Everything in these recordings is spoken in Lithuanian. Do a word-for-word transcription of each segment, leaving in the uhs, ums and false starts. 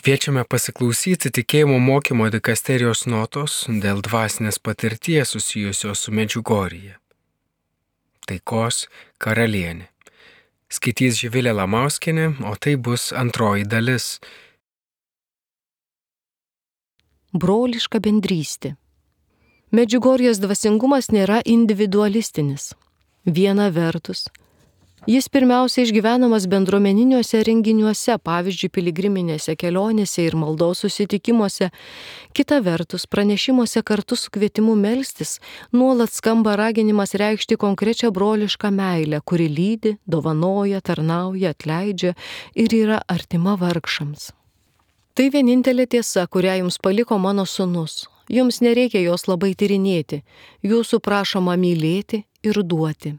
Kviečiame pasiklausyti tikėjimo mokymo dikasterijos notos dėl dvasinės patirties susijusios su Medžiugorje. Taikos karalienė. Skaitys Živilė Lamauskienė, o tai bus antroji dalis. Broliška bendrystė. Medžiugorjės dvasingumas nėra individualistinis. Viena vertus, jis pirmiausia išgyvenamas bendruomeniniuose renginiuose, pavyzdžiui, piligriminėse kelionėse ir maldos susitikimuose. Kita vertus, pranešimuose kartu su kvietimu melstis nuolat skamba raginimas reikšti konkrečią brolišką meilę, kuri lydi, dovanoja, tarnauja, atleidžia ir yra artima vargšams. Tai vienintelė tiesa, kurią jums paliko mano sūnus. Jums nereikia jos labai tyrinėti, jūsų prašoma mylėti ir duoti.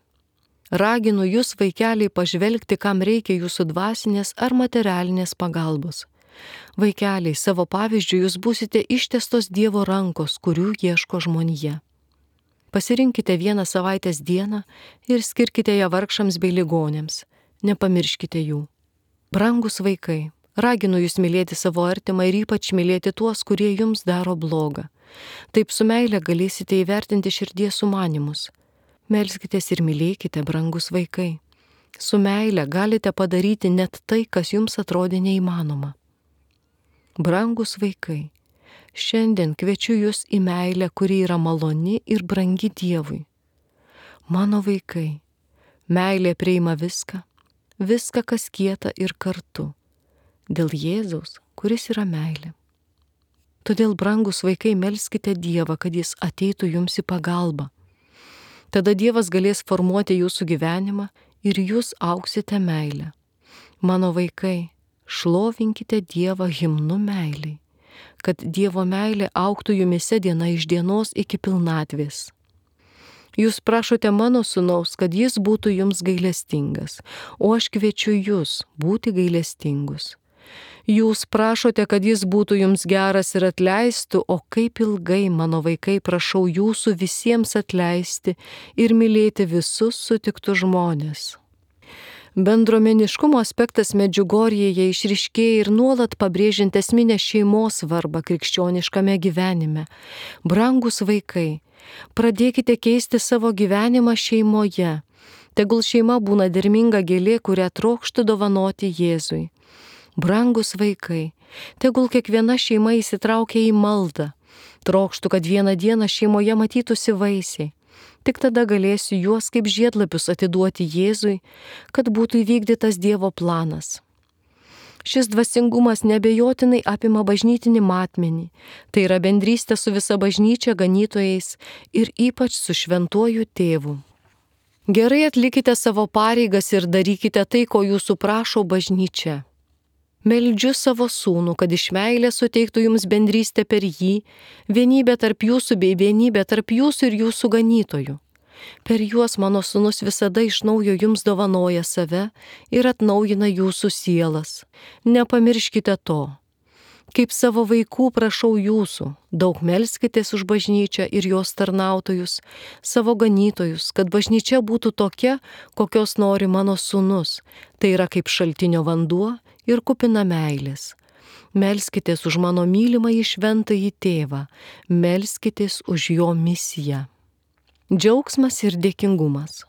Raginu jūs, vaikeliai, pažvelgti, kam reikia jūsų dvasinės ar materialinės pagalbos. Vaikeliai, savo pavyzdžių jūs būsite ištestos Dievo rankos, kurių ieško žmonija. Pasirinkite vieną savaitės dieną ir skirkite ją vargšams bei ligonėms. Nepamirškite jų. Brangus vaikai, raginu jūs mylėti savo artimą ir ypač mylėti tuos, kurie jums daro blogą. Taip su meile galėsite įvertinti širdies sumanymus. Melskitės ir mylėkite, brangus vaikai. Su meile galite padaryti net tai, kas jums atrodė neįmanoma. Brangus vaikai, šiandien kviečiu jūs į meilę, kuri yra maloni ir brangi Dievui. Mano vaikai, meilė priima viską, viską, kas kieta ir kartu, dėl Jėzaus, kuris yra meilė. Todėl, brangus vaikai, melskite Dievą, kad jis ateitų jums į pagalbą. Tada Dievas galės formuoti jūsų gyvenimą ir jūs auksite meilę. Mano vaikai, šlovinkite Dievą himnu meiliai, kad Dievo meilė augtų jumise diena iš dienos iki pilnatvės. Jūs prašote mano sūnaus, kad jis būtų jums gailestingas, o aš kviečiu jūs būti gailestingus. Jūs prašote, kad jis būtų jums geras ir atleistų, o kaip ilgai, mano vaikai, prašau jūsų visiems atleisti ir mylėti visus sutiktus žmonės. Bendruomeniškumo aspektas Medžiugorjėje išryškėja ir nuolat pabrėžiant esminę šeimos svarbą krikščioniškame gyvenime. Brangus vaikai, pradėkite keisti savo gyvenimą šeimoje. Tegul šeima būna derminga gėlė, kurią trokštų dovanoti Jėzui. Brangus vaikai, tegul kiekviena šeima įsitraukia į maldą. Trokštų, kad vieną dieną šeimoje matytųsi vaisiai. Tik tada galėsiu juos kaip žiedlapius atiduoti Jėzui, kad būtų įvykdytas Dievo planas. Šis dvasingumas neabejotinai apima bažnytinį matmenį, tai yra bendrystė su visa bažnyčia, ganytojais ir ypač su šventuoju tėvu. Gerai atlikite savo pareigas ir darykite tai, ko jūsų prašo bažnyčia. Meldžiu savo sūnų, kad iš meilės suteiktų jums bendrystę per jį, vienybę tarp jūsų bei vienybę tarp jūsų ir jūsų ganytojų. Per juos mano sūnus visada iš naujo jums dovanoja save ir atnaujina jūsų sielas. Nepamirškite to. Kaip savo vaikų prašau jūsų, daug melskitės už bažnyčią ir jos tarnautojus, savo ganytojus, kad bažnyčia būtų tokia, kokios nori mano sūnus, tai yra kaip šaltinio vanduo ir kupina meilės. Melskitės už mano mylimąjį šventąjį tėvą, melskitės už jo misiją. Džiaugsmas ir dėkingumas.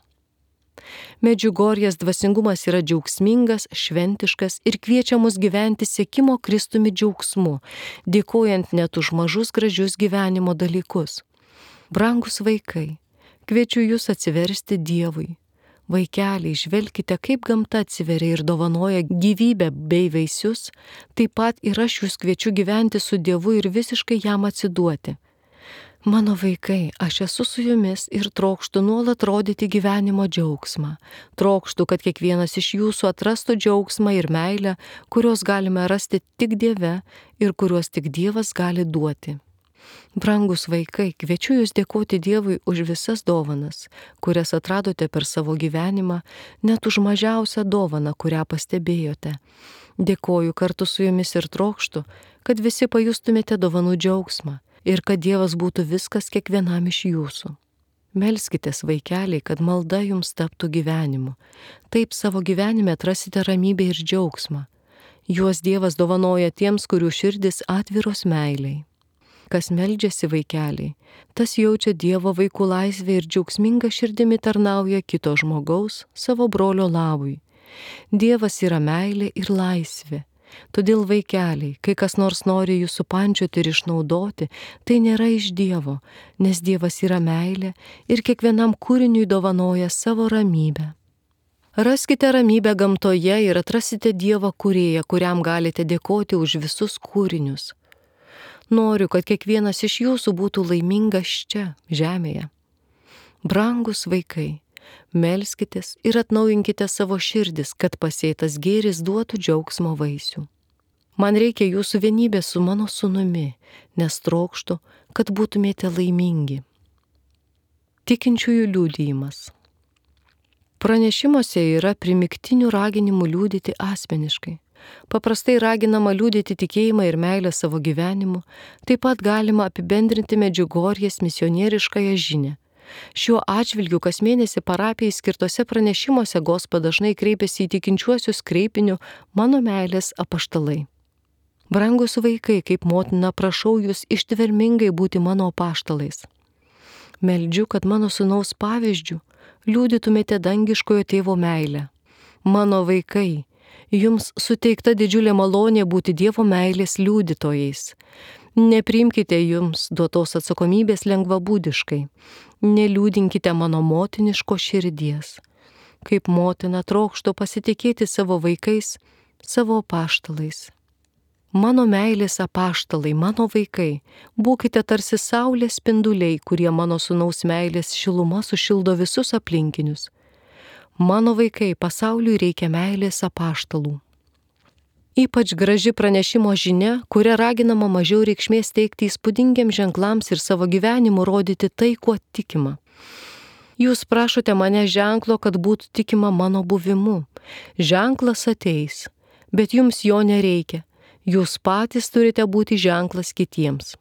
Medžiugorjės dvasingumas yra džiaugsmingas, šventiškas ir kviečia mus gyventi sekimo Kristumi džiaugsmu, dėkojant net už mažus gražius gyvenimo dalykus. Brangus vaikai, kviečiu jūs atsiversti Dievui. Vaikeliai, žvelkite, kaip gamta atsiveria ir dovanoja gyvybę bei vaisius, taip pat ir aš jūs kviečiu gyventi su Dievu ir visiškai jam atsiduoti. Mano vaikai, aš esu su jumis ir trokštu nuolat rodyti gyvenimo džiaugsmą. Trokštu, kad kiekvienas iš jūsų atrastų džiaugsmą ir meilę, kurios galime rasti tik Dieve ir kuriuos tik Dievas gali duoti. Brangus vaikai, kviečiu jūs dėkoti Dievui už visas dovanas, kurias atradote per savo gyvenimą, net už mažiausią dovaną, kurią pastebėjote. Dėkoju kartu su jumis ir trokštu, kad visi pajustumėte dovanų džiaugsmą ir kad Dievas būtų viskas kiekvienam iš jūsų. Melskitės, vaikeliai, kad malda jums taptų gyvenimu. Taip savo gyvenime atrasite ramybę ir džiaugsmą. Juos Dievas dovanoja tiems, kurių širdis atviros meiliai. Kas meldžiasi vaikeliai, tas jaučia Dievo vaikų laisvę ir džiaugsminga širdimi tarnauja kito žmogaus, savo brolio labui. Dievas yra meilė ir laisvė. Todėl vaikeliai, kai kas nors nori jų supančioti ir išnaudoti, tai nėra iš Dievo, nes Dievas yra meilė ir kiekvienam kūriniui dovanoja savo ramybę. Raskite ramybę gamtoje ir atrasite Dievą kūrėją, kuriam galite dėkoti už visus kūrinius. Noriu, kad kiekvienas iš jūsų būtų laimingas čia, žemėje. Brangus vaikai, melskitės ir atnaujinkite savo širdis, kad pasėtas gėris duotų džiaugsmo vaisių. Man reikia jūsų vienybės su mano sūnumi, nes trokštu, kad būtumėte laimingi. Tikinčiųjų liudijimas. Pranešimuose yra primygtinių raginimų liudyti asmeniškai. Paprastai raginama liudyti tikėjimą ir meilę savo gyvenimu, taip pat galima apibendrinti Medžiugorjės misionieriškąją žinią. Šiuo atžvilgiu kas mėnesį parapijai skirtose pranešimuose Gospa dažnai kreipiasi į tikinčiuosius kreipiniu mano meilės apaštalai. Brangus vaikai, kaip motina, prašau jūs ištvermingai būti mano apaštalais. Meldžiu, kad mano sūnaus pavyzdžių liudytumėte dangiškojo tėvo meilę. Mano vaikai, jums suteikta didžiulė malonė būti Dievo meilės liudytojais. Nepriimkite jums duotos atsakomybės lengvabūdiškai. Neliūdinkite mano motiniško širdies. Kaip motina trokštu pasitikėti savo vaikais, savo apaštalais. Mano meilės apaštalai, mano vaikai, būkite tarsi saulės spinduliai, kurie mano sūnaus meilės šiluma sušildo visus aplinkinius. Mano vaikai, pasauliui reikia meilės apaštalų. Ypač graži pranešimo žinia, kuria raginama mažiau reikšmės teikti įspūdingiams ženklams ir savo gyvenimu rodyti tai, kuo tikima. Jūs prašote mane ženklo, kad būtų tikima mano buvimu. Ženklas ateis, bet jums jo nereikia. Jūs patys turite būti ženklas kitiems.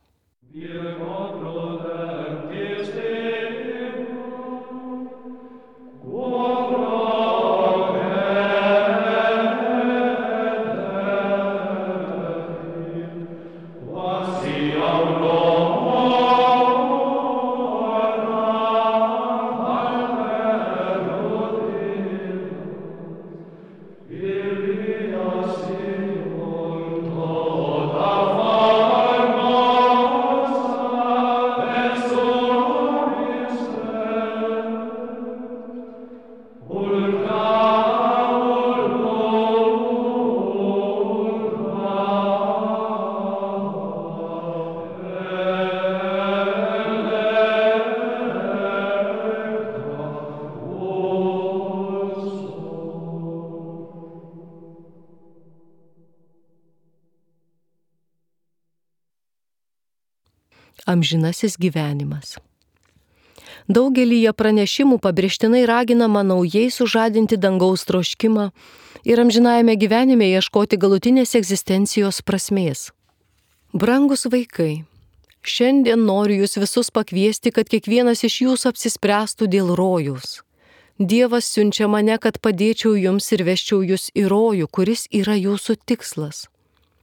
Amžinasis gyvenimas. Daugelyje pranešimų pabrėžtinai raginama naujai sužadinti dangaus troškimą ir amžinajame gyvenime ieškoti galutinės egzistencijos prasmės. Brangus vaikai, šiandien noriu jūs visus pakviesti, kad kiekvienas iš jūsų apsispręstų dėl rojaus. Dievas siunčia mane, kad padėčiau jums ir vesčiau jūs į rojų, kuris yra jūsų tikslas.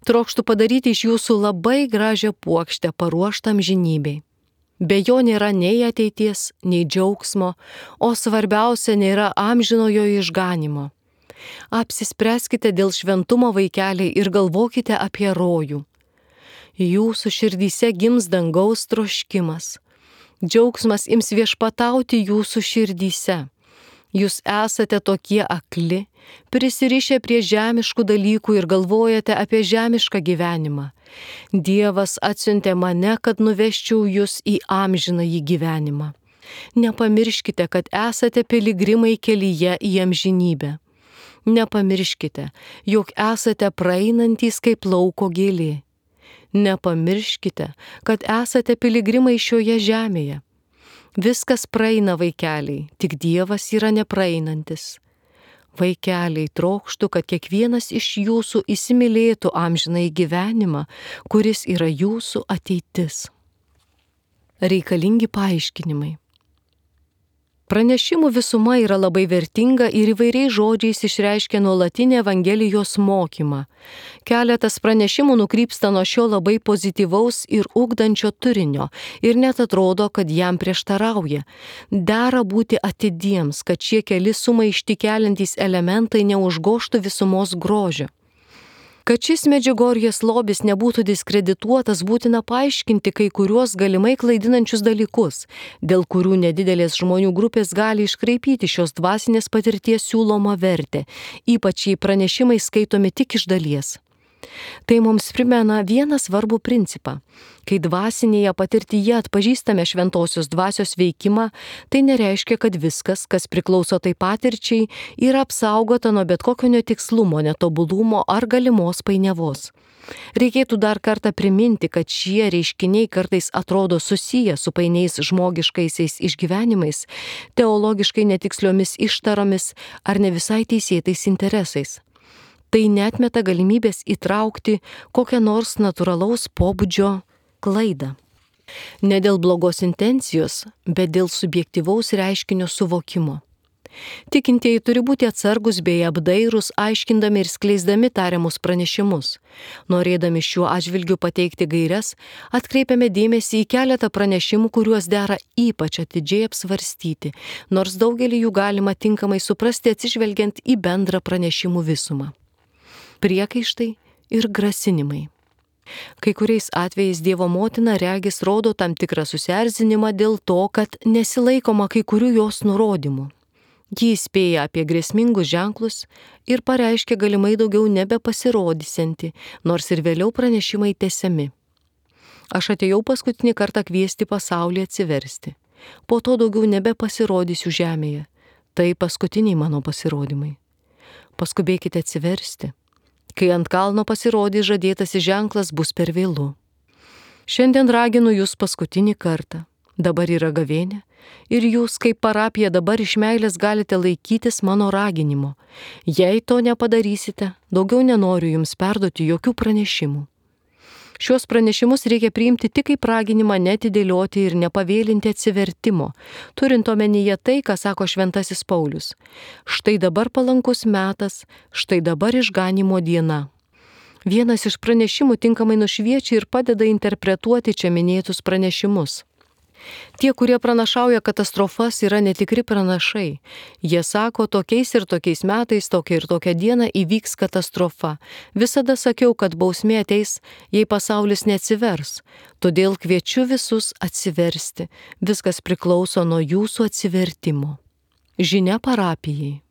Trokštų padaryti iš jūsų labai gražią puokštę paruoštą amžinybei. Be jo nėra nei ateities, nei džiaugsmo, o svarbiausia nėra amžinojo išganimo. Apsispręskite dėl šventumo vaikeliai ir galvokite apie rojų. Jūsų širdyse gims dangaus troškimas. Džiaugsmas ims viešpatauti jūsų širdyse. Jūs esate tokie akli, prisirišę prie žemiškų dalykų ir galvojate apie žemišką gyvenimą. Dievas atsiuntė mane, kad nuveščiau jūs į amžinąjį gyvenimą. Nepamirškite, kad esate piligrimai kelyje į amžinybę. Nepamirškite, jog esate praeinantys kaip lauko gėlė. Nepamirškite, kad esate piligrimai šioje žemėje. Viskas praeina, vaikeliai, tik Dievas yra nepraeinantis. Vaikeliai, trokštu, kad kiekvienas iš jūsų įsimylėtų amžinąjį gyvenimą, kuris yra jūsų ateitis. Reikalingi paaiškinimai. Pranešimų visuma yra labai vertinga ir įvairiais žodžiais išreiškia nuolatinį Evangelijos mokymą. Keletas pranešimų nukrypsta nuo šio labai pozityvaus ir ugdančio turinio ir net atrodo, kad jam prieštarauja. Dera būti atidiems, kad šie keli sumaištį keliantys elementai neužgoštų visumos grožio. Kad šis Medžiugorjės lobis nebūtų diskredituotas, būtina paaiškinti kai kuriuos galimai klaidinančius dalykus, dėl kurių nedidelės žmonių grupės gali iškraipyti šios dvasinės patirties siūlomą vertę, ypač jei pranešimai skaitomi tik iš dalies. Tai mums primena vieną svarbų principą. Kai dvasinėje patirtyje atpažįstame šventosios dvasios veikimą, tai nereiškia, kad viskas, kas priklauso tai patirčiai, yra apsaugota nuo bet kokio netikslumo, netobulumo ar galimos painiavos. Reikėtų dar kartą priminti, kad šie reiškiniai kartais atrodo susiję su painiais žmogiškaisiais išgyvenimais, teologiškai netiksliomis ištaromis ar ne visai teisėtais interesais. Tai neatmeta galimybės įtraukti kokią nors natūralaus pobūdžio klaidą. Ne dėl blogos intencijos, bet dėl subjektyvaus reiškinio suvokimo. Tikintieji turi būti atsargus bei apdairūs, aiškindami ir skleisdami tariamus pranešimus. Norėdami šiuo atžvilgiu pateikti gaires, atkreipiame dėmesį į keletą pranešimų, kuriuos dera ypač atidžiai apsvarstyti, nors daugelį jų galima tinkamai suprasti atsižvelgiant į bendrą pranešimų visumą. Priekaištai ir grasinimai. Kai kuriais atvejais Dievo motina regis rodo tam tikrą susierzinimą dėl to, kad nesilaikoma kai kurių jos nurodymų. Ji įspėja apie grėsmingus ženklus ir pareiškia galimai daugiau nebepasirodysianti, nors ir vėliau pranešimai tęsiami. Aš atėjau paskutinį kartą kviesti pasaulį atsiversti. Po to daugiau nebepasirodysiu žemėje. Tai paskutiniai mano pasirodymai. Paskubėkite atsiversti. Kai ant kalno pasirodys žadėtasis ženklas, bus per vėlu. Šiandien raginu jūs paskutinį kartą. Dabar yra gavėnė ir jūs kaip parapija dabar iš meilės galite laikytis mano raginimo. Jei to nepadarysite, daugiau nenoriu jums perduoti jokių pranešimų. Šios pranešimus reikia priimti tik kaip raginimą netidėlioti ir nepavėlinti atsivertimo, turint omenyje tai, ką sako šventasis Paulius. Štai dabar palankus metas, štai dabar išganimo diena. Vienas iš pranešimų tinkamai nušviečia ir padeda interpretuoti čia minėtus pranešimus. Tie, kurie pranašauja katastrofas, yra netikri pranašai. Jie sako, tokiais ir tokiais metais, tokia ir tokia diena įvyks katastrofa. Visada sakiau, kad bausmė ateis, jei pasaulis neatsivers. Todėl kviečiu visus atsiversti. Viskas priklauso nuo jūsų atsivertimo. Žinia parapijai.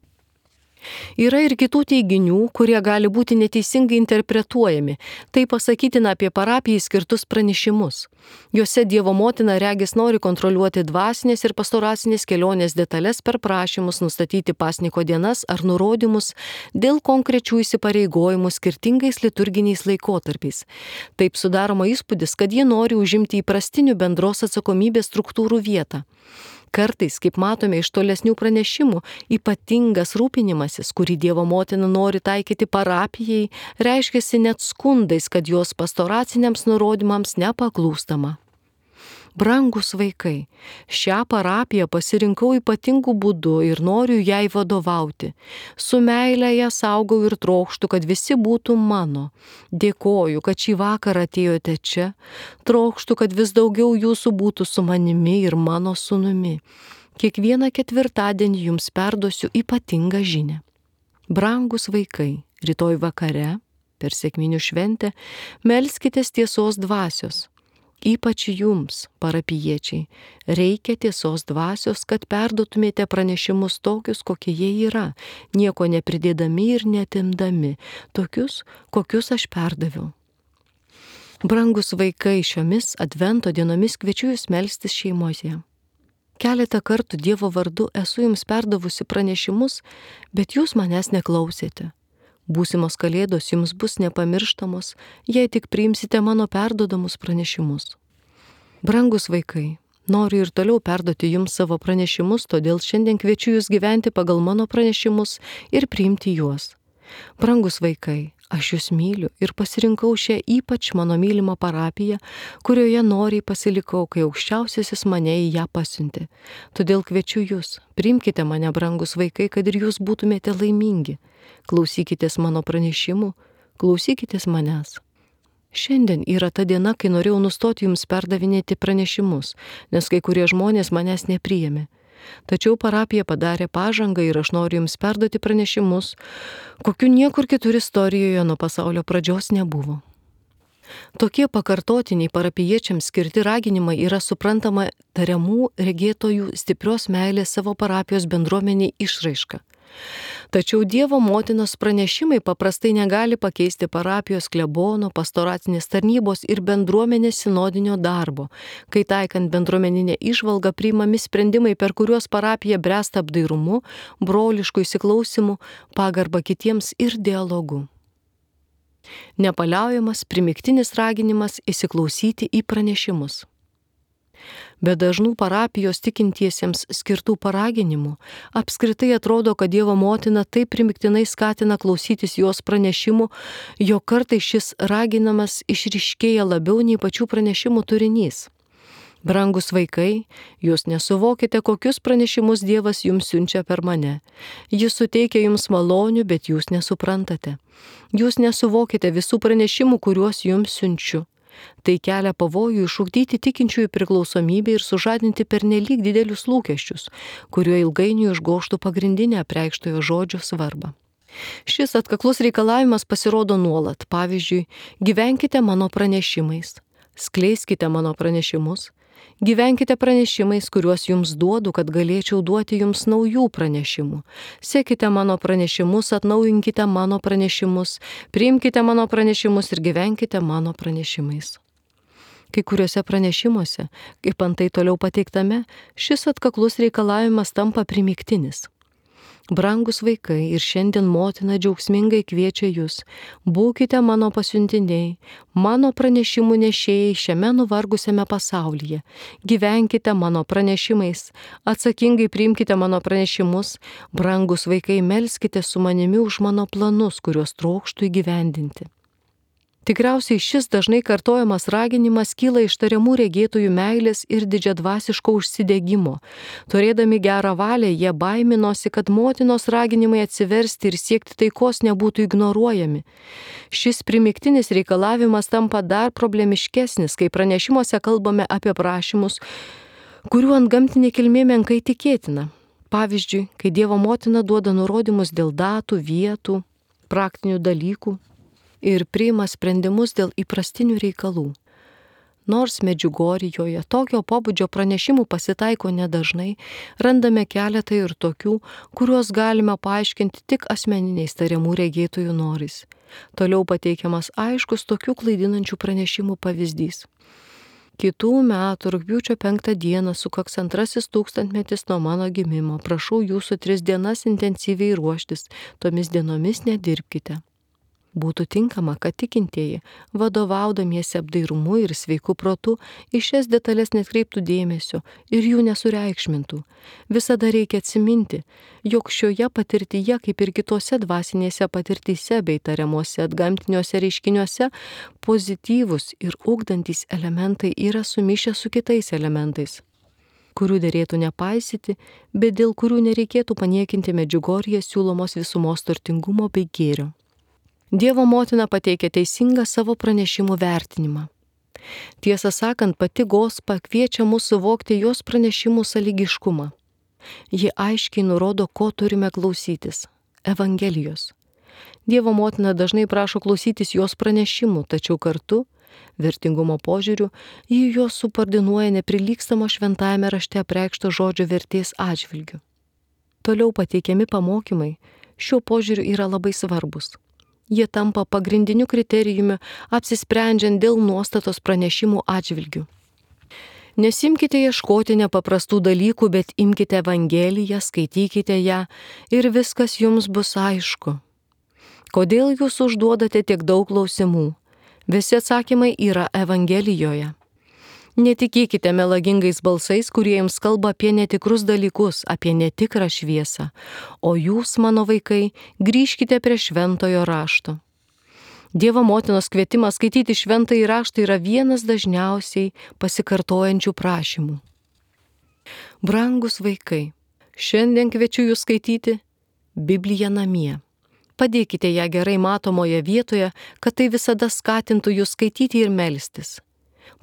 Yra ir kitų teiginių, kurie gali būti neteisingai interpretuojami. Tai pasakytina apie parapijai skirtus pranešimus. Juose Dievo motina regis nori kontroliuoti dvasinės ir pastoracinės kelionės detalės per prašymus nustatyti pasniko dienas ar nurodymus dėl konkrečių įsipareigojimų skirtingais liturginiais laikotarpiais. Taip sudaroma įspūdis, kad jie nori užimti įprastinių bendros atsakomybės struktūrų vietą. Kartais, kaip matome iš tolesnių pranešimų, ypatingas rūpinimasis, kurį Dievo motina nori taikyti parapijai, reiškiasi net skundais, kad jos pastoraciniams nurodymams nepaklūstama. Brangus vaikai, šią parapiją pasirinkau ypatingų būdų ir noriu jai vadovauti. Su meile ją saugau ir trokštu, kad visi būtų mano. Dėkoju, kad šį vakarą atėjote čia. Trokštu, kad vis daugiau jūsų būtų su manimi ir mano sūnumi. Kiekvieną ketvirtadienį jums perduosiu ypatingą žinią. Brangus vaikai, rytoj vakare, per sekminių šventę, melskitės tiesos dvasios. Ypač jums, parapijiečiai, reikia tiesos dvasios, kad perduotumėte pranešimus tokius, kokie jie yra, nieko nepridėdami ir netimdami, tokius, kokius aš perdaviau. Brangus vaikai, šiomis advento dienomis kviečiu jūs melstis šeimoje. Keletą kartų Dievo vardu esu jums perdavusi pranešimus, bet jūs manęs neklausėte. Būsimos kalėdos jums bus nepamirštamos, jei tik priimsite mano perduodamus pranešimus. Brangus vaikai, noriu ir toliau perduoti jums savo pranešimus, todėl šiandien kviečiu jūs gyventi pagal mano pranešimus ir priimti juos. Brangus vaikai, Aš jūs myliu ir pasirinkau šią ypač mano mylimą parapiją, kurioje noriai pasilikau, kai aukščiausiasis mane į ją pasiuntė. Todėl kviečiu jūs, priimkite mane, brangus vaikai, kad ir jūs būtumėte laimingi. Klausykitės mano pranešimų, klausykitės manęs. Šiandien yra ta diena, kai norėjau nustoti jums perdavinėti pranešimus, nes kai kurie žmonės manęs nepriėmė. Tačiau parapija padarė pažangą ir aš noriu jums perduoti pranešimus, kokių niekur kitur istorijoje nuo pasaulio pradžios nebuvo. Tokie pakartotiniai parapijiečiams skirti raginimai yra suprantama tariamų regėtojų stiprios meilės savo parapijos bendruomeniai išraiška. Tačiau Dievo motinos pranešimai paprastai negali pakeisti parapijos klebono, pastoracinės tarnybos ir bendruomenės sinodinio darbo, kai taikant bendruomeninę įžvalgą priimami sprendimai, per kuriuos parapija bręsta apdairumu, brolišku įsiklausimu, pagarba kitiems ir dialogu. Nepaliaujamas primygtinis raginimas įsiklausyti į pranešimus. Be dažnų parapijos tikintiesiems skirtų paraginimų, apskritai atrodo, kad Dievo motina taip primygtinai skatina klausytis jos pranešimų, jog kartais šis raginamas išryškėja labiau nei pačių pranešimų turinys. Brangus vaikai, jūs nesuvokite, kokius pranešimus Dievas jums siunčia per mane. Jis suteikia jums malonių, bet jūs nesuprantate. Jūs nesuvokite visų pranešimų, kuriuos jums siunčiu. Tai kelia pavojų išugdyti tikinčiųjų priklausomybę ir sužadinti pernelyg didelius lūkesčius, kuriuo ilgainiui užgožtų pagrindinę apreikštojo žodžio svarbą. Šis atkaklus reikalavimas pasirodo nuolat. Pavyzdžiui, gyvenkite mano pranešimais, skleiskite mano pranešimus, gyvenkite pranešimais, kuriuos jums duodu, kad galėčiau duoti jums naujų pranešimų. Sekite mano pranešimus, atnaujinkite mano pranešimus, priimkite mano pranešimus ir gyvenkite mano pranešimais. Kai kuriuose pranešimuose, kaip antai toliau pateiktame, šis atkaklus reikalavimas tampa primygtinis. Brangus vaikai, ir šiandien motina džiaugsmingai kviečia jūs, būkite mano pasiuntiniai, mano pranešimų nešėjai šiame nuvargusiame pasaulyje, gyvenkite mano pranešimais, atsakingai priimkite mano pranešimus, brangus vaikai, melskite su manimi už mano planus, kuriuos trokštų įgyvendinti. Tikriausiai šis dažnai kartojamas raginimas kyla iš tariamų regėtojų meilės ir didžiadvasiško užsidegimo. Turėdami gerą valią, jie baiminosi, kad motinos raginimai atsiversti ir siekti taikos nebūtų ignoruojami. Šis primygtinis reikalavimas tampa dar problemiškesnis, kai pranešimuose kalbame apie prašymus, kurių antgamtinė kilmė menkai tikėtina. Pavyzdžiui, kai Dievo motina duoda nurodymus dėl datų, vietų, praktinių dalykų ir priima sprendimus dėl įprastinių reikalų. Nors Medžiugorjijoje tokio pobūdžio pranešimų pasitaiko nedažnai, randame keletą ir tokių, kuriuos galime paaiškinti tik asmeniniais tariamų regėtojų norais. Toliau pateikiamas aiškus tokių klaidinančių pranešimų pavyzdys. Kitų metų rugpjūčio penktą dieną sukaks antrasis tūkstantmetis nuo mano gimimo. Prašau jūsų tris dienas intensyviai ruoštis, tomis dienomis nedirbkite. Būtų tinkama, kad tikintieji, vadovaudamiesi apdairumu ir sveiku protu, į šias detalės netkreiptų dėmesio ir jų nesureikšmintų. Visada reikia atsiminti, jog šioje patirtyje, kaip ir kitose dvasinėse patirtyse bei tariamuose atgamtiniuose reiškiniuose, pozityvus ir ugdantys elementai yra sumišę su kitais elementais, kurių derėtų nepaisyti, bet dėl kurių nereikėtų paniekinti Medžiugorjėje siūlomos visumos turtingumo bei gėrio. Dievo motina pateikia teisingą savo pranešimų vertinimą. Tiesą sakant, pati Gospa kviečia mus suvokti jos pranešimų sąlygiškumą. Ji aiškiai nurodo, ko turime klausytis – Evangelijos. Dievo motina dažnai prašo klausytis jos pranešimų, tačiau kartu, vertingumo požiūriu, ji juos subordinuoja neprilygstamo šventajame rašte apreikšto žodžio vertės atžvilgiu. Toliau pateikiami pamokymai šiuo požiūriu yra labai svarbus. Jie tampa pagrindiniu kriterijumi apsisprendžiant dėl nuostatos pranešimų atžvilgių. Nesimkite ieškoti nepaprastų dalykų, bet imkite Evangeliją, skaitykite ją ir viskas jums bus aišku. Kodėl jūs užduodate tiek daug klausimų? Visi atsakymai yra Evangelijoje. Netikėkite melagingais balsais, kurie jums kalba apie netikrus dalykus, apie netikrą šviesą, o jūs, mano vaikai, grįžkite prie šventojo rašto. Dievo motinos kvietimas skaityti šventąjį raštą yra vienas dažniausiai pasikartojančių prašymų. Brangus vaikai, šiandien kviečiu jūs skaityti Bibliją namie. Padėkite ją gerai matomoje vietoje, kad tai visada skatintų jūs skaityti ir melstis.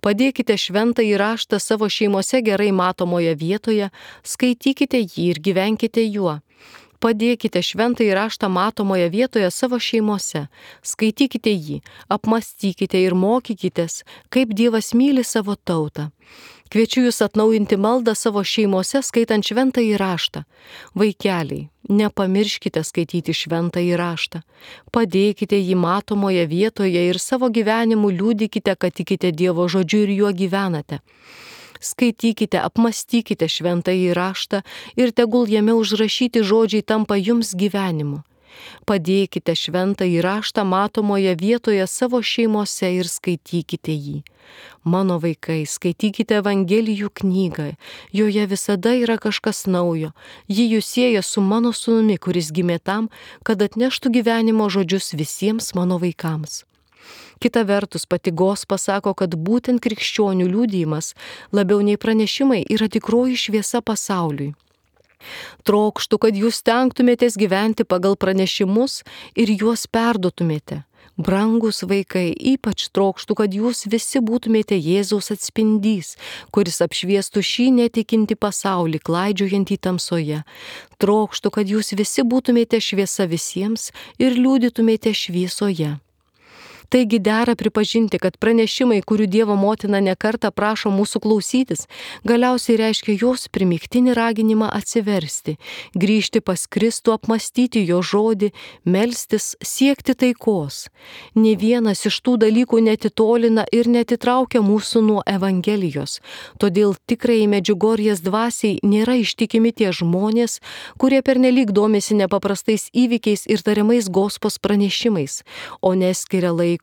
Padėkite šventąjį raštą savo šeimose gerai matomoje vietoje, skaitykite jį ir gyvenkite juo. Padėkite šventąjį raštą matomoje vietoje savo šeimose, skaitykite jį, apmastykite ir mokykitės, kaip Dievas myli savo tautą. Kviečiu jūs atnaujinti maldą savo šeimose, skaitant šventąjį raštą. Vaikeliai, nepamirškite skaityti šventąjį raštą. Padėkite jį matomoje vietoje ir savo gyvenimu liudykite, kad tikite Dievo žodžiu ir juo gyvenate. Skaitykite, apmastykite šventąjį raštą ir tegul jame užrašyti žodžiai tampa jums gyvenimu. Padėkite šventąjį raštą matomoje vietoje savo šeimose ir skaitykite jį. Mano vaikai, skaitykite Evangelijų knygą, joje visada yra kažkas naujo. Ji jūs sieja su mano sūnumi, kuris gimė tam, kad atneštų gyvenimo žodžius visiems mano vaikams. Kita vertus, pati Gospa sako, kad būtent krikščionių liudijimas labiau nei pranešimai yra tikroji šviesa pasauliui. Trokštu, kad jūs stengtumėtės gyventi pagal pranešimus ir juos perduotumėte. Brangus vaikai, ypač trokštu, kad jūs visi būtumėte Jėzaus atspindys, kuris apšviestų šį netikinti pasaulį, klaidžiojantį tamsoje. Trokštu, kad jūs visi būtumėte šviesa visiems ir liudytumėte šviesoje. Taigi dera pripažinti, kad pranešimai, kurių Dievo motina nekartą prašo mūsų klausytis, galiausiai reiškia jos primygtinį raginimą atsiversti, grįžti pas Kristų, apmastyti jo žodį, melstis, siekti taikos. Nė vienas iš tų dalykų netitolina ir netitraukia mūsų nuo Evangelijos. Todėl tikrai Medžiugorjės dvasiai nėra ištikimi tie žmonės, kurie pernelyg domisi nepaprastais įvykiais ir tariamais Gospos pranešimais, o neskiria laiko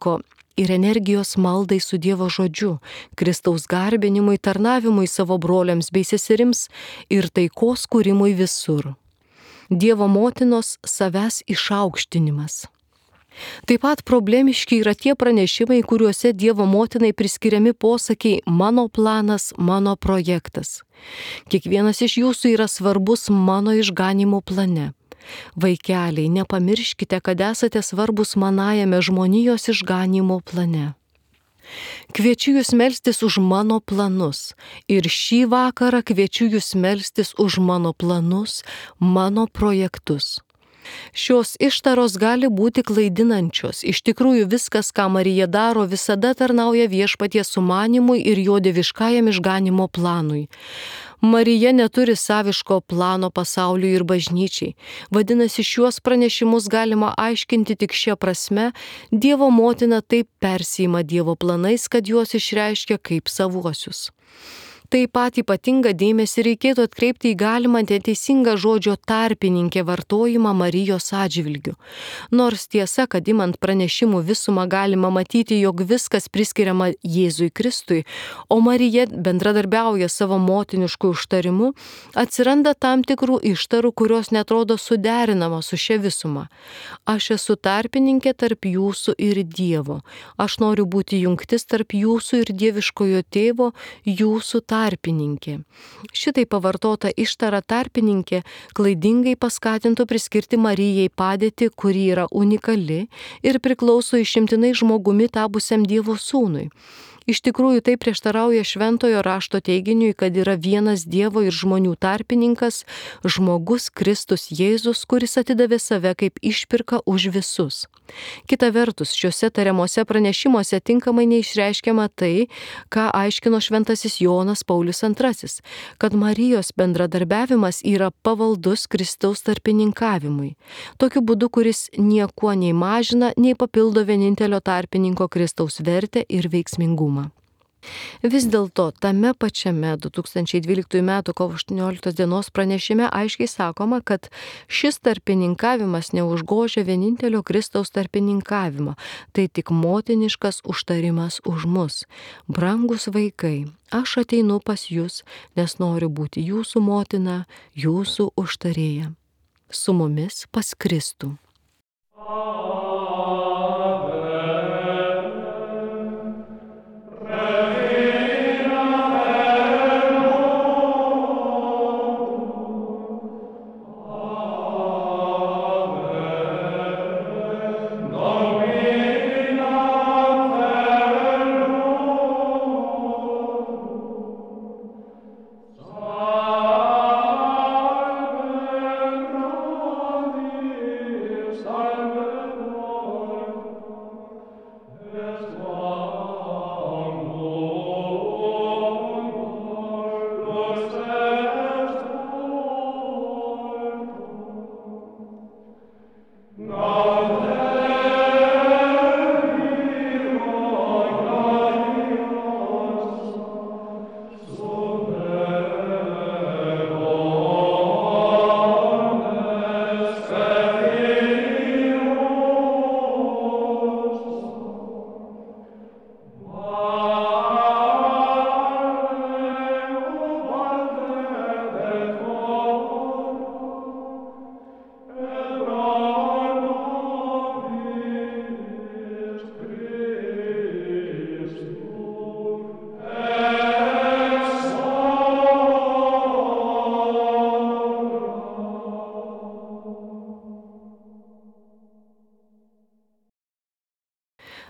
ir energijos maldai su Dievo žodžiu, Kristaus garbinimui, tarnavimui savo broliams bei seserims ir taikos kūrimui visur. Dievo motinos savęs išaukštinimas. Taip pat problemiški yra tie pranešimai, kuriuose Dievo motinai priskiriami posakiai mano planas, mano projektas. Kiekvienas iš jūsų yra svarbus mano išganimo plane. Vaikeliai, nepamirškite, kad esate svarbus manajame žmonijos išganimo plane. Kviečiu jūs melstis už mano planus ir šį vakarą kviečiu jūs melstis už mano planus, mano projektus. Šios ištaros gali būti klaidinančios. Iš tikrųjų viskas, ką Marija daro, visada tarnauja Viešpaties sumanimui ir jo dieviškajam išganimo planui. Marija neturi saviško plano pasauliui ir bažnyčiai. Vadinasi, šiuos pranešimus galima aiškinti tik šia prasme, Dievo motina taip persiima Dievo planais, kad juos išreiškia kaip savuosius. Taip pat ypatingą dėmesį reikėtų atkreipti į galimą neteisingą žodžio tarpininkė vartojimą Marijos atžvilgiu. Nors tiesa, kad imant pranešimų visumą galima matyti, jog viskas priskiriama Jėzui Kristui, o Marija bendradarbiauja savo motinišku užtarimu, atsiranda tam tikrų ištarų, kurios netrodo suderinamos su šia visuma. Aš esu tarpininkė tarp jūsų ir Dievo. Aš noriu būti jungtis tarp jūsų ir dieviškojo tėvo, jūsų tarpininkė. Tarpininkė. Šitai pavartota ištara tarpininkė klaidingai paskatintų priskirti Marijai padėtį, kuri yra unikali ir priklauso išimtinai žmogumi tapusiam Dievo sūnui. Iš tikrųjų tai prieštarauja šventojo rašto teiginiui, kad yra vienas Dievo ir žmonių tarpininkas, žmogus Kristus Jėzus, kuris atidavė save kaip išpirka už visus. Kita vertus, šiuose tariamuose pranešimuose tinkamai neišreiškiama tai, ką aiškino šventasis Jonas Paulius antrasis, kad Marijos bendradarbiavimas yra pavaldus Kristaus tarpininkavimui. Tokiu būdu, kuris niekuo nei mažina, nei papildo vienintelio tarpininko Kristaus vertę ir veiksmingumą. Vis dėlto tame pačiame du tūkstančiai dvyliktųjų metų kovo aštuonioliktos dienos pranešime aiškiai sakoma, kad šis tarpininkavimas neužgožia vienintelio Kristaus tarpininkavimo, tai tik motiniškas užtarimas už mus. Brangus vaikai, aš ateinu pas jūs, nes noriu būti jūsų motina, jūsų užtarėja. Su mumis pas Kristų. Amen.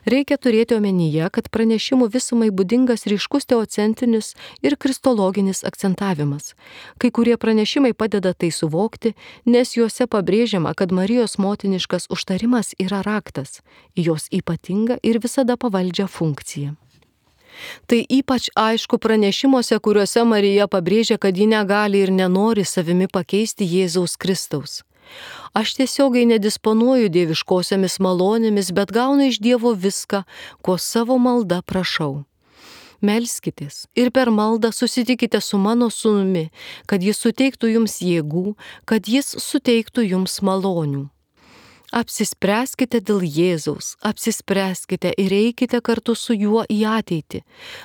Reikia turėti omenyje, kad pranešimų visumai būdingas ryškus teocentinis ir kristologinis akcentavimas. Kai kurie pranešimai padeda tai suvokti, nes juose pabrėžiama, kad Marijos motiniškas užtarimas yra raktas į jos ypatingą ir visada pavaldžią funkciją. Tai ypač aišku pranešimuose, kuriuose Marija pabrėžia, kad ji negali ir nenori savimi pakeisti Jėzaus Kristaus. Aš tiesiogiai nedisponuoju dieviškosiomis malonėmis, bet gaunu iš Dievo viską, ko savo malda prašau. Melskitės ir per maldą susitikite su mano sūnumi, kad jis suteiktų jums jėgų, kad jis suteiktų jums malonių. Apsispręskite dėl Jėzaus, apsispręskite ir eikite kartu su juo į ateitį.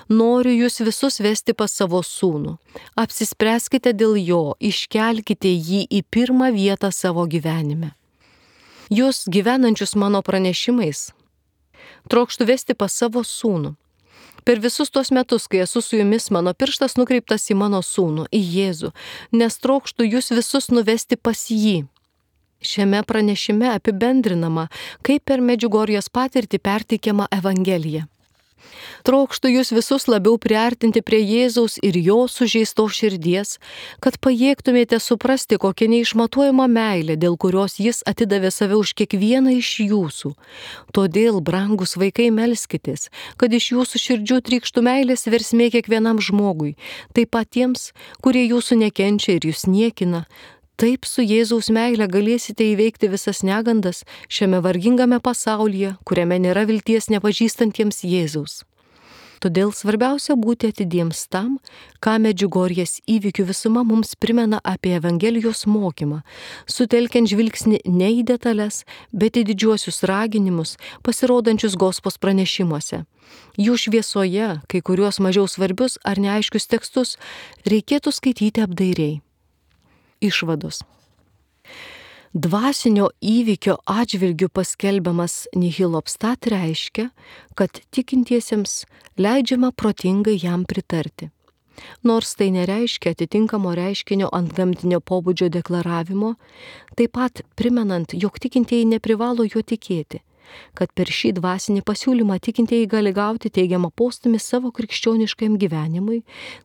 Noriu jūs visus vesti pas savo sūnų. Apsispręskite dėl jo, iškelkite jį į pirmą vietą savo gyvenime. Jūs gyvenančius mano pranešimais trokštu vesti pas savo sūnų. Per visus tuos metus, kai esu su jumis, mano pirštas nukreiptas į mano sūnų, į Jėzų, nes trokštu jūs visus nuvesti pas jį. Šiame pranešime apibendrinama, kaip per Medžiugorjės patirtį perteikiama Evangelija. Trokštu jūs visus labiau priartinti prie Jėzaus ir jo sužeistos širdies, kad pajėgtumėte suprasti, kokia neišmatuojama meilė, dėl kurios jis atidavė save už kiekvieną iš jūsų. Todėl, brangus vaikai, melskitės, kad iš jūsų širdžių trykštų meilės versmė kiekvienam žmogui, taip pat tiems, kurie jūsų nekenčia ir jūs niekina. Taip su Jėzaus meile galėsite įveikti visas negandas šiame vargingame pasaulyje, kuriame nėra vilties nepažįstantiems Jėzaus. Todėl svarbiausia būti atidiems tam, ką Medžiugorjės įvykių visuma mums primena apie Evangelijos mokymą, sutelkiant žvilgsnį ne į detalės, bet į didžiuosius raginimus, pasirodančius Gospos pranešimuose. Jų šviesoje, kai kuriuos mažiau svarbius ar neaiškius tekstus, reikėtų skaityti apdairiai. Išvados. Dvasinio įvykio atžvilgiu paskelbiamas nihil obstat reiškia, kad tikintiesiems leidžiama protingai jam pritarti. Nors tai nereiškia atitinkamo reiškinio antgamtinio pobūdžio deklaravimo, taip pat primenant, jog tikintieji neprivalo juo tikėti, kad per šį dvasinį pasiūlymą tikintieji gali gauti teigiamą postūmį savo krikščioniškajam gyvenimui,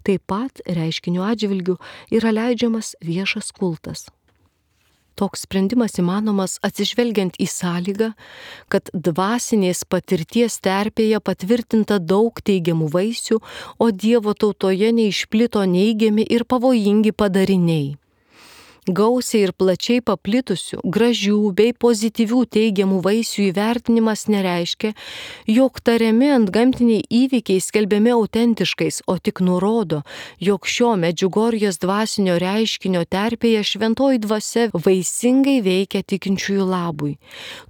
taip pat reiškinio atžvilgiu yra leidžiamas viešas kultas. Toks sprendimas įmanomas atsižvelgiant į sąlygą, kad dvasinės patirties terpėje patvirtinta daug teigiamų vaisių, o Dievo tautoje neišplito neigiami ir pavojingi padariniai. Gausiai ir plačiai paplitusių, gražių bei pozityvių teigiamų vaisių įvertinimas nereiškia, jog tariami antgamtiniai įvykiai skelbiami autentiškais, o tik nurodo, jog šio Medžiugorjės dvasinio reiškinio terpėje šventoji dvasia vaisingai veikia tikinčiųjų labui.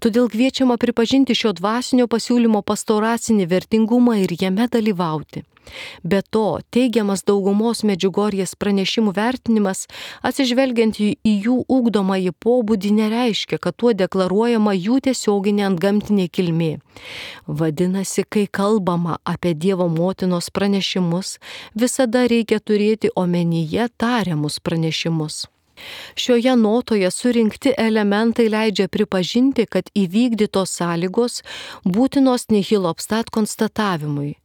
Todėl kviečiama pripažinti šio dvasinio pasiūlymo pastoracinį vertingumą ir jame dalyvauti. Be to, teigiamas daugumos Medžiugorjės pranešimų vertinimas, atsižvelgiant į jų ugdomąjį pobūdį, nereiškia, kad tuo deklaruojama jų tiesioginė antgamtinė kilmė. Vadinasi, kai kalbama apie Dievo motinos pranešimus, visada reikia turėti omenyje tariamus pranešimus. Šioje notoje surinkti elementai leidžia pripažinti, kad įvykdytos sąlygos būtinos nihil obstat konstatavimui.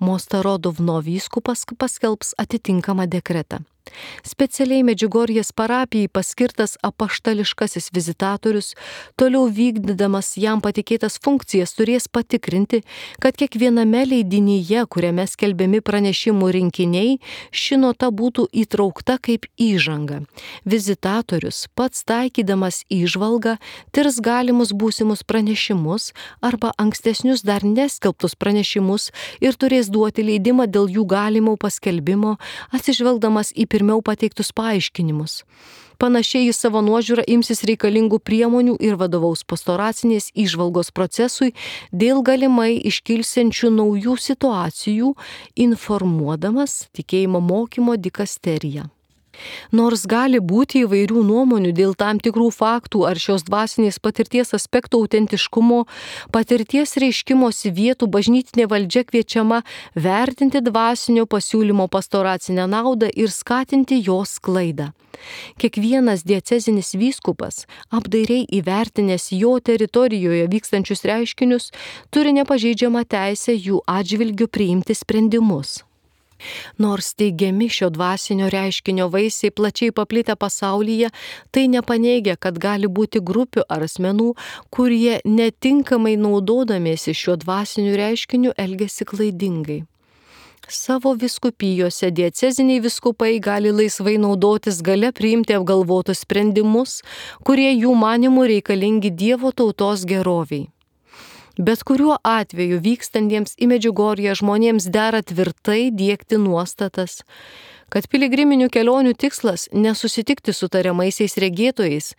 Mostarodovno vyskupas paskelbs atitinkamą dekretą. Specialiai Medžiugorjės parapijai paskirtas apaštališkasis vizitatorius, toliau vykdydamas jam patikėtas funkcijas, turės patikrinti, kad kiekviename leidinyje, kuriame skelbiami pranešimų rinkiniai, ši nota būtų įtraukta kaip įžanga. Vizitatorius, pats taikydamas įžvalgą, tirs galimus būsimus pranešimus arba ankstesnius dar neskelbtus pranešimus ir turės duoti leidimą dėl jų galimo paskelbimo, atsižvelgdamas į pirmiau pateiktus paaiškinimus. Panašiai jis savo nuožiūrą imsis reikalingų priemonių ir vadovaus pastoracinės įžvalgos procesui dėl galimai iškilsiančių naujų situacijų, informuodamas tikėjimo mokymo dikasteriją. Nors gali būti įvairių nuomonių dėl tam tikrų faktų ar šios dvasinės patirties aspektų autentiškumo, patirties reiškimosi vietų bažnytinė valdžia kviečiama vertinti dvasinio pasiūlymo pastoracinę naudą ir skatinti jos sklaidą. Kiekvienas diecezinis vyskupas, apdairiai įvertinęs jo teritorijoje vykstančius reiškinius, turi nepažeidžiamą teisę jų atžvilgiu priimti sprendimus. Nors teigiami šio dvasinio reiškinio vaisiai plačiai paplitę pasaulyje, tai nepaneigia, kad gali būti grupių ar asmenų, kurie netinkamai naudodamiesi šiuo dvasiniu reiškiniu elgiasi klaidingai. Savo vyskupijose dieceziniai vyskupai gali laisvai naudotis galia priimti apgalvotus sprendimus, kurie jų manimų reikalingi Dievo tautos geroviai. Bet kuriuo atveju vykstantiems į Medžiugorję žmonėms dera tvirtai diegti nuostatas, kad piligriminių kelionių tikslas nesusitikti su tariamaisiais regėtojais,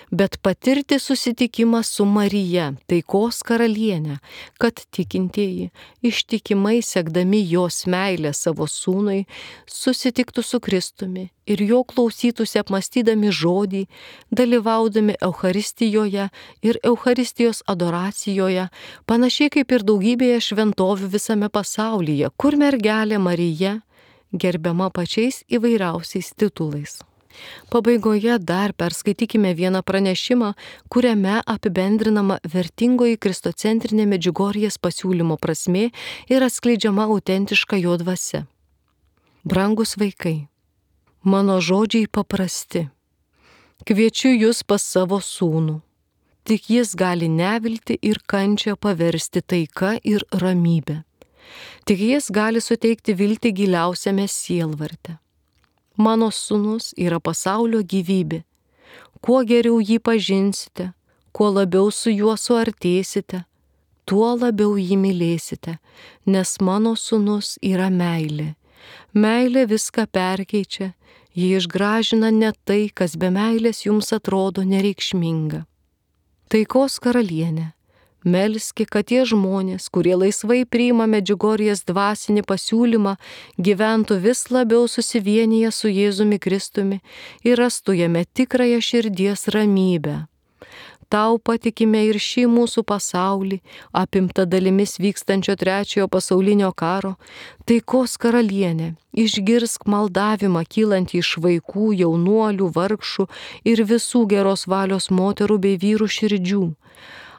bet patirti susitikimą su Marija, taikos karaliene, kad tikintieji, ištikimai sekdami jos meilę savo sūnui, susitiktų su Kristumi ir jo klausytųsi apmastydami žodį, dalyvaudami Eucharistijoje ir Eucharistijos adoracijoje, panašiai kaip ir daugybėje šventovių visame pasaulyje, kur mergelė Marija gerbiama pačiais įvairiausiais titulais. Pabaigoje dar perskaitykime vieną pranešimą, kuriame apibendrinama vertingoji kristocentrinė Medžiugorjės pasiūlymo prasmė ir atskleidžiama autentiška jo dvasia. Brangus vaikai, mano žodžiai paprasti. Kviečiu jūs pas savo sūnų. Tik jis gali neviltį ir kančią paversti taika ir ramybę. Tik jis gali suteikti viltį giliausiame sielvarte. Mano sūnus yra pasaulio gyvybė. Kuo geriau jį pažinsite, kuo labiau su juo suartėsite, tuo labiau jį mylėsite, nes mano sūnus yra meilė. Meilė viską perkeičia, ji išgražina net tai, kas be meilės jums atrodo nereikšminga. Taikos karalienė, melski, kad tie žmonės, kurie laisvai priima Medžiugorjės dvasinį pasiūlymą, gyventų vis labiau susivienyje su Jėzumi Kristumi ir rastų jame tikrąją širdies ramybę. Tau patikime ir šį mūsų pasaulį, apimta dalimis vykstančio trečiojo pasaulinio karo, taikos karalienė, išgirsk maldavimą kylantį iš vaikų, jaunuolių, vargšų ir visų geros valios moterų bei vyrų širdžių.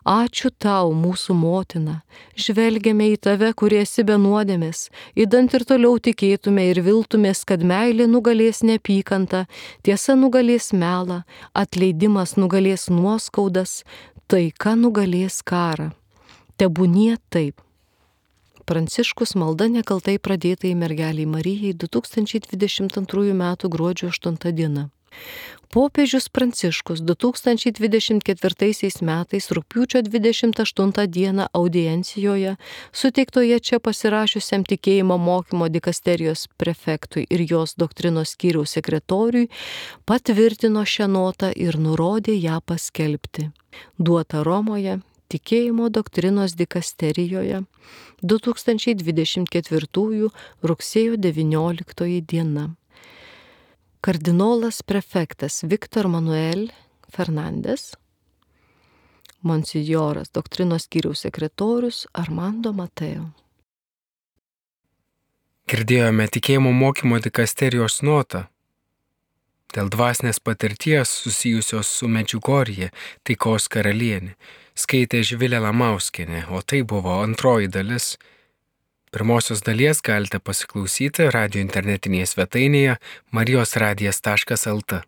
Ačiū tau, mūsų motina, žvelgiame į tave, kurie esi be nuodėmės, idant ir toliau tikėtume ir viltumės, kad meilė nugalės neapykantą, tiesa nugalės melą, atleidimas nugalės nuoskaudas, taika nugalės karą. Tebūnie taip. Pranciškus malda nekaltai pradėtai mergeliai Marijai du tūkstančiai dvidešimt antrųjų metų gruodžio aštunta diena. Popiežius Pranciškus du tūkstančiai dvidešimt ketvirtaisiais metais rugpjūčio dvidešimt aštuntą dieną audiencijoje, suteiktoje čia pasirašiusiam tikėjimo mokymo dikasterijos prefektui ir jos doktrinos skyriaus sekretoriui, patvirtino šią notą ir nurodė ją paskelbti. Duota Romoje, tikėjimo doktrinos dikasterijoje, du tūkstančiai dvidešimt ketvirtųjų rugsėjo devynioliktoji diena. Kardinolas prefektas Viktor Manuel Fernandes, monsinjoras doktrinos skyriaus sekretorius Armando Mateo. Girdėjome tikėjimo mokymo dikasterijos notą dėl dvasinės patirties susijusios su Medžiugorje, taikos karalienė, skaitė Živilė Lamauskienė, o tai buvo antroji dalis. Pirmosios dalies galite pasiklausyti radijo internetinėje svetainėje marijos radijas taškas el t.